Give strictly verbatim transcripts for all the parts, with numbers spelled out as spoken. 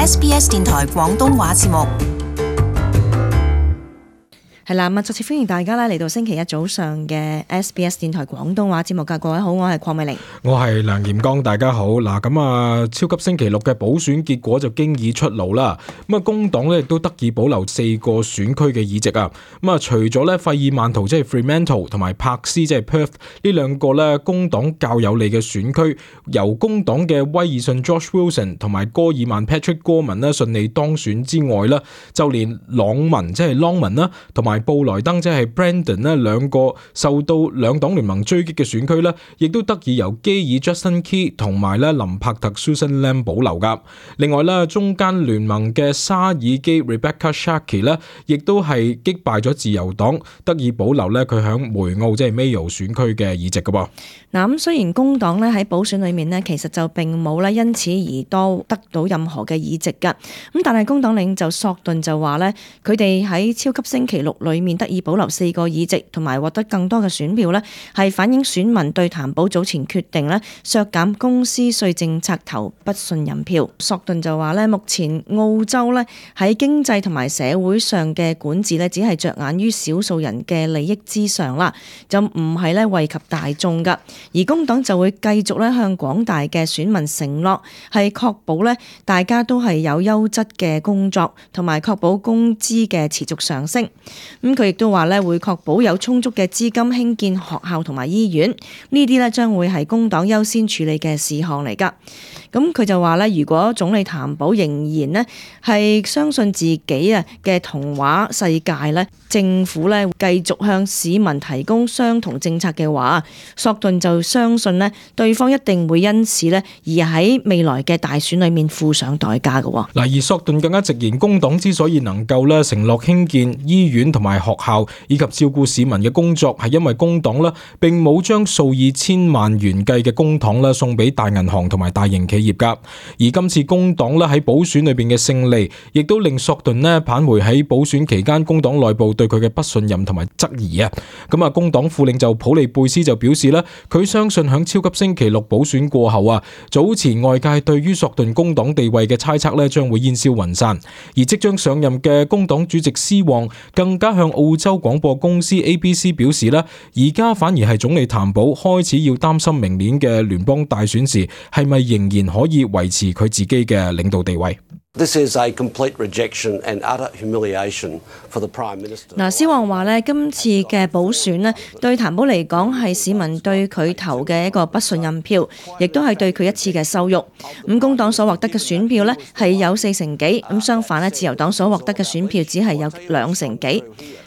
S B S 電台廣東話節目。係啦，咁啊，再次歡迎大家咧嚟到星期一早上嘅 S B S 電台廣東話節目噶。各位好，我係鄺美玲，我係梁炎剛，大家好。嗱，咁啊，超級星期六嘅補選結果就經已出爐啦。咁啊，工黨咧亦都得以保留四個選區嘅議席啊。咁啊，除咗咧費爾曼圖即係 Fremantle 同埋柏斯即係 Perth 呢兩個咧工黨較有利嘅選區，由工黨嘅威爾遜 Josh Wilson 同埋戈爾曼 Patrick Gorman 咧順利當選之外咧，就連朗文即係 Longman 啦，同埋布萊登即係 Brandon 咧，兩個受到兩黨聯盟追擊嘅選區咧，亦都得以由基爾 Justin Key 同埋咧林柏特 Susan Lam 保留噶。另外咧，中間聯盟嘅沙爾基 Rebecca Sharkey 咧，亦都係擊敗咗自由黨，得以保留咧佢響梅澳即係 Mayo 選區嘅議席噶噃。嗱，咁雖然工黨咧喺補選裏面咧，其實就並冇咧因此而多得到任何嘅議席噶。咁但係工黨領袖索頓就話咧，佢哋喺超級星期六裏面得以保留四個議席，同埋獲得更多嘅選票咧，係反映選民對譚寶早前決定咧削減公司稅政策投不信任票。索頓就話咧，目前澳洲咧喺經濟同埋社會上嘅管治咧，只係着眼於少數人嘅利益之上啦，就唔係咧惠及大眾噶。而工黨就會繼續咧向廣大嘅選民承諾，係確保咧大家都係有優質嘅工作，同埋確保工資嘅持續上升。咁佢亦都話咧會確保有充足嘅資金興建學校同埋醫院，呢啲咧將會係工黨優先處理嘅事項嚟噶。咁佢就話咧，如果總理譚寶仍然咧係相信自己啊嘅童話世界咧，政府咧繼續向市民提供相同政策嘅話，索頓就相信咧對方一定會因此咧而喺未來嘅大選裏面付上代價嘅。嗱，而索頓更加直言，工黨之所以能夠咧承諾興建醫院同埋學校以及照顧市民嘅工作，係因為工黨咧並冇將數以千萬元計嘅公帑咧送俾大銀行同埋大型企業噶。而今次工黨咧喺補選裏邊嘅勝利，亦都令索頓咧返回喺補選期間工黨內部對佢嘅不信任同埋質疑啊。咁啊，工黨副領袖普利貝斯就表示咧，佢相信響超級星期六補選過後啊，早前外界對於索頓工黨地位嘅猜測咧將會煙消雲散。而即將上任嘅工黨主席施旺更加向澳洲廣播公司 A B C 表示咧，而家反而係總理譚寶開始要擔心明年嘅聯邦大選時係咪仍然可以維持佢自己嘅領導地位。This is a complete rejection and utter humiliation for the Prime Minister. 嗱，施旺話咧，今次嘅補選咧，對譚寶嚟講係市民對佢投嘅一個不信任票，亦都係對佢一次嘅羞辱。咁工黨所獲得嘅選票咧係有四成幾，咁相反咧，自由黨所獲得嘅選票只係有兩成幾。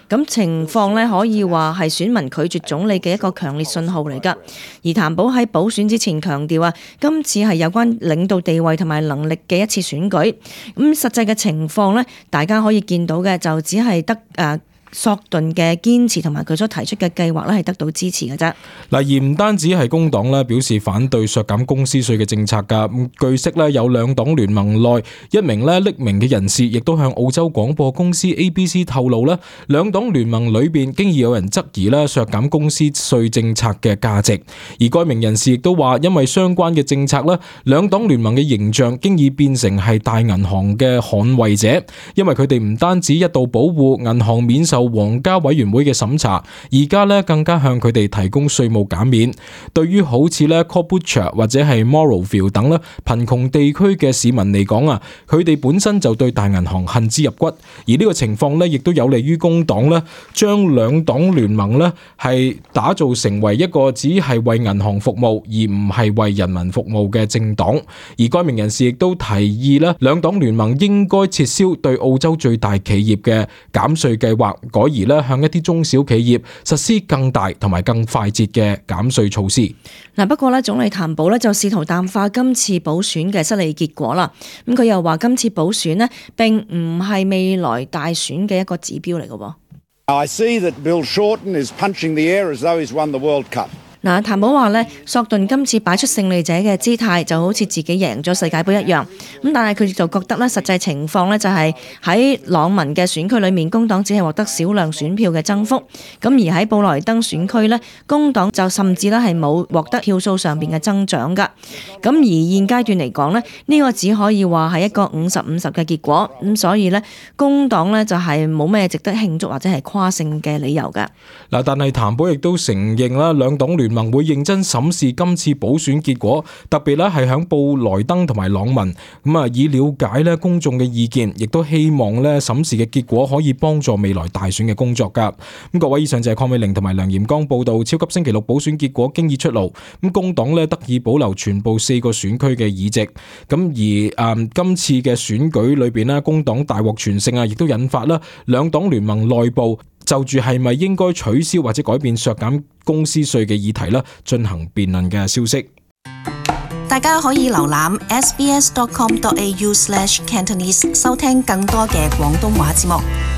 咁情況咧可以話係選民拒絕總理嘅一個強烈信號嚟㗎。而譚寶喺補選之前強調啊，今次係有關領導地位同埋能力嘅一次選舉。咁實際嘅情況咧，大家可以見到嘅就只係得誒。呃索頓嘅堅持同埋佢所提出嘅計劃咧，係得到支持嘅啫。嗱，而唔單止係工黨咧表示反對削減公司稅嘅政策噶。咁據悉咧，有兩黨聯盟內一名咧匿名嘅人士，亦都向澳洲廣播公司 A B C 透露咧，兩黨聯盟裏邊經已有人質疑咧削減公司稅政策嘅價值。而該名人士亦都話，因為相關嘅政策咧，兩黨聯盟嘅形象經已變成係大銀行嘅捍衛者，因為佢哋唔單止一度保護銀行免受受皇家委員會嘅審查，而家咧更加向佢哋提供稅務減免。對於好似咧 Caboolture 或者係 Morrowville 等咧貧窮地區嘅市民嚟講啊，佢哋本身就對大銀行恨之入骨。而呢個情況咧，亦都有利於工黨咧將兩黨聯盟咧係打造成為一個只係為銀行服務而唔係為人民服務嘅政黨。而該名人士亦都提議咧，兩黨聯盟應該撤銷對澳洲最大企業嘅減稅計劃，改而咧向一啲中小企業實施更大同埋更快捷嘅減稅措施。嗱，不過咧，總理譚寶咧就試圖淡化今次補選嘅失利結果啦。咁佢又話今次補選呢並唔係未來大選嘅一個指標嚟嘅。I see that Bill Shorten is punching the air as though he's won the World Cup. 嗱，譚寶話咧，索頓今次擺出勝利者嘅姿態，就好似自己贏咗世界盃一樣。咁但係佢就覺得咧，實際情況咧就係喺朗文嘅選區裏面，工黨只係獲得少量選票嘅增幅。咁而喺布萊登選區咧，工黨就甚至咧係冇獲得票數上邊嘅增長㗎。咁而現階段嚟講咧，呢個只可以話係一個五十五十嘅結果。咁所以咧，工黨咧就係冇咩值得慶祝或者係誇勝嘅理由㗎。嗱，但係譚寶亦都承認啦，兩黨聯盟會認真審視今次補選結果，特別咧係響布萊登同埋朗文咁啊，以了解咧公眾嘅意見，亦都希望咧審視嘅結果可以幫助未來大選嘅工作噶。咁各位，以上就係鄺美玲同埋梁炎剛報道，超級星期六補選結果經已出爐，咁工黨咧得以保留全部四個選區嘅議席。咁而誒、嗯、今次嘅選舉裏邊咧，工黨大獲全勝啊，亦都引發啦兩黨聯盟內部就住係咪應該取消或者改變削減公司稅嘅議題啦，進行辯論嘅消息。大家可以瀏覽 s b s dot com dot a u slash cantonese 收聽更多嘅廣東話節目。